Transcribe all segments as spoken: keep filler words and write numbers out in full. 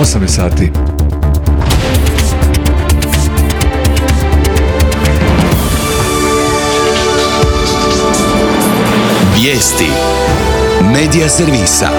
osam je sati. Vijesti Medija servisa.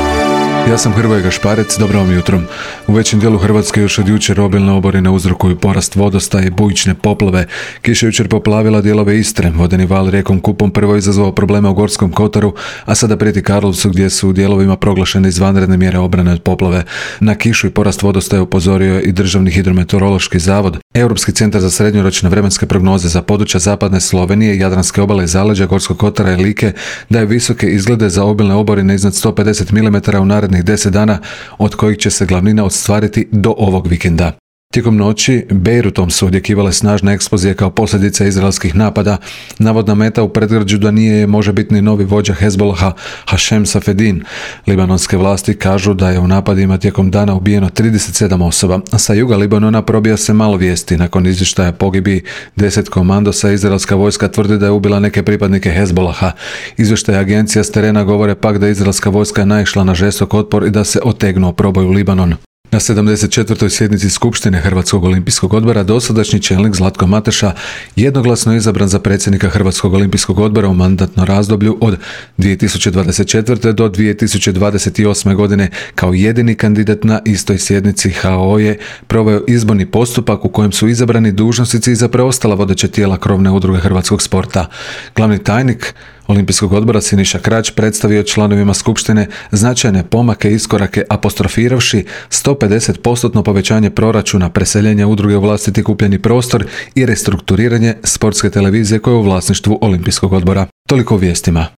Ja sam Hrvoje Gašparec, dobro vam jutro. U većem dijelu Hrvatske još od jučer obilne oborine uzrokuju porast vodostaja i bujične poplave. Kiša jučer poplavila dijelove Istre, vodeni val rijekom Kupom prvo izazvao probleme u Gorskom kotaru, a sada prijeti Karlovcu gdje su u dijelovima proglašene izvanredne mjere obrane od poplave. Na kišu i porast vodostaja upozorio je i Državni hidrometeorološki zavod. Europski centar za srednjoročne vremenske prognoze za područja zapadne Slovenije, Jadranske obale i zaleđa Gorskog kotara i Like daje visoke izglede za obilne oborine iznad sto pedeset milimetara u narednih deset dana, od kojih će se glavnina ostvariti do ovog vikenda. Tijekom noći Bejrutom su odjekivale snažne eksplozije kao posljedica izraelskih napada. Navodna meta u predgrađu da nije možebitni novi vođa Hezbolaha Hašem Safedin. Libanonske vlasti kažu da je u napadima tijekom dana ubijeno trideset sedam osoba. Sa juga Libanona probija se malo vijesti. Nakon izvještaja pogibi deset komandosa, izraelska vojska tvrdi da je ubila neke pripadnike Hezbolaha. Izvještaje agencija s terena govore pak da izraelska vojska naišla na žestok otpor i da se otegnuo proboj u Libanon. Na sedamdeset četvrtoj sjednici Skupštine Hrvatskog olimpijskog odbora dosadašnji čelnik Zlatko Mateša jednoglasno je izabran za predsjednika Hrvatskog olimpijskog odbora u mandatnom razdoblju od dvije tisuće dvadeset četvrte. do dvije tisuće dvadeset osme. godine. Kao jedini kandidat na istoj sjednici H O je proveo izborni postupak u kojem su izabrani dužnosnici za preostala vodeća tijela krovne udruge hrvatskog sporta. Glavni tajnik Olimpijskog odbora Siniša Krač predstavio članovima Skupštine značajne pomake i iskorake apostrofiravši sto pedeset posto povećanje proračuna, preseljenje udruge u vlastiti kupljeni prostor i restrukturiranje sportske televizije koja je u vlasništvu Olimpijskog odbora. Toliko u vijestima.